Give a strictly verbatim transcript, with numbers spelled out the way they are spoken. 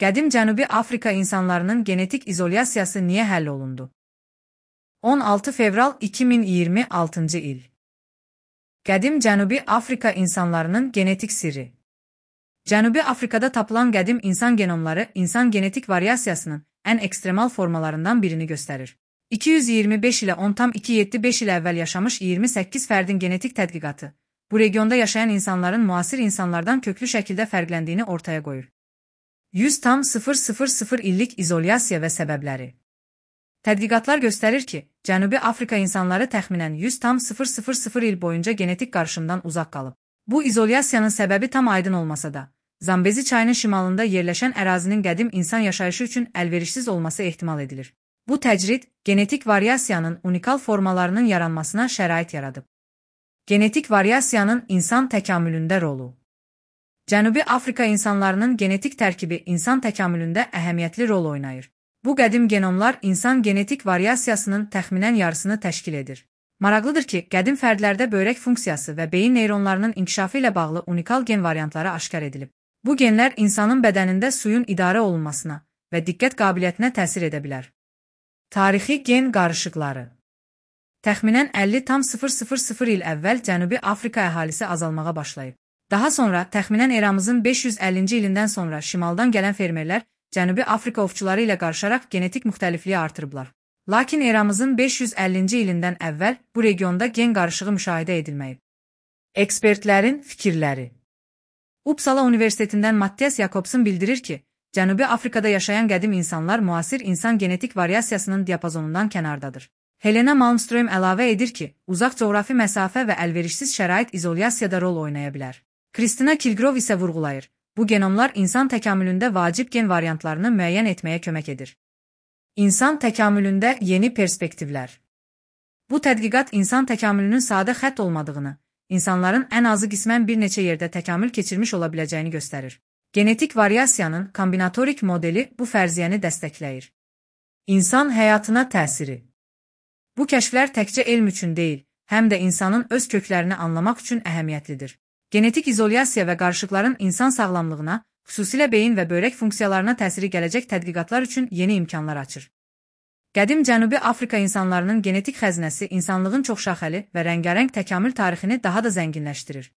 Qədim Cənubi Afrika insanlarının genetik izolyasiyası niyə həll olundu? on altı fevral iki min iyirmi altıncı il. Qədim Cənubi Afrika insanlarının genetik sirri. Cənubi Afrikada tapılan qədim insan genomları insan genetik variasiyasının ən ekstremal formalarından birini göstərir. iki yüz iyirmi beş ilə on tam iki yüz yetmiş beş il əvvəl yaşamış iyirmi səkkiz fərdin genetik tədqiqatı, bu regionda yaşayan insanların müasir insanlardan köklü şəkildə fərqləndiyini ortaya qoyur. yüz tam sıfır sıfır sıfır illik izolyasiya və səbəbləri. Tədqiqatlar göstərir ki, Cənubi Afrika insanları təxminən yüz tam sıfır sıfır sıfır il boyunca genetik qarışımdan uzaq qalıb. Bu izolyasiyanın səbəbi tam aydın olmasa da, Zambezi çayının şimalında yerləşən ərazinin qədim insan yaşayışı üçün əlverişsiz olması ehtimal edilir. Bu təcrid, genetik variasiyanın unikal formalarının yaranmasına şərait yaradıb. Genetik variasiyanın insan təkamülündə rolu. Cənubi Afrika insanlarının genetik tərkibi insan təkamülündə əhəmiyyətli rol oynayır. Bu qədim genomlar insan genetik variasiyasının təxminən yarısını təşkil edir. Maraqlıdır ki, qədim fərdlərdə böyrək funksiyası və beyin neyronlarının inkişafı ilə bağlı unikal gen variantları aşkar edilib. Bu genlər insanın bədənində suyun idarə olunmasına və diqqət qabiliyyətinə təsir edə bilər. Tarixi gen qarışıqları. Təxminən əlli tam sıfır sıfır sıfır il əvvəl Cənubi Afrika əhalisi azalmağa başlayıb. Daha sonra, təxminən eramızın beş yüz əllinci ilindən sonra şimaldan gələn fermerlər Cənubi Afrika ovçuları ilə qarışaraq genetik müxtəlifliyi artırıblar. Lakin eramızın beş yüz əllinci ilindən əvvəl bu regionda gen qarışığı müşahidə edilməyib. Ekspertlərin fikirləri. Uppsala Universitetindən Mattias Jakobson bildirir ki, Cənubi Afrikada yaşayan qədim insanlar müasir insan genetik variasiyasının diapazonundan kənardadır. Helena Malmström əlavə edir ki, uzaq coğrafi məsafə və əlverişsiz şərait izolyasiyada rol oynaya bilər. Kristina Kilgrov isə vurğulayır, bu genomlar insan təkamülündə vacib gen variantlarını müəyyən etməyə kömək edir. İnsan təkamülündə yeni perspektivlər. Bu tədqiqat insan təkamülünün sadə xətt olmadığını, insanların ən azı qismən bir neçə yerdə təkamül keçirmiş ola biləcəyini göstərir. Genetik variasiyanın kombinatorik modeli bu fərziyyəni dəstəkləyir. İnsan həyatına təsiri. Bu kəşflər təkcə elm üçün deyil, həm də insanın öz köklərini anlamaq üçün əhəmiyyətlidir. Genetik izolyasiya və qarışıqların insan sağlamlığına, xüsusilə beyin və böyrək funksiyalarına təsiri gələcək tədqiqatlar üçün yeni imkanlar açır. Qədim Cənubi Afrika insanlarının genetik xəzinəsi insanlığın çoxşaxəli və rəngarəng təkamül tarixini daha da zənginləşdirir.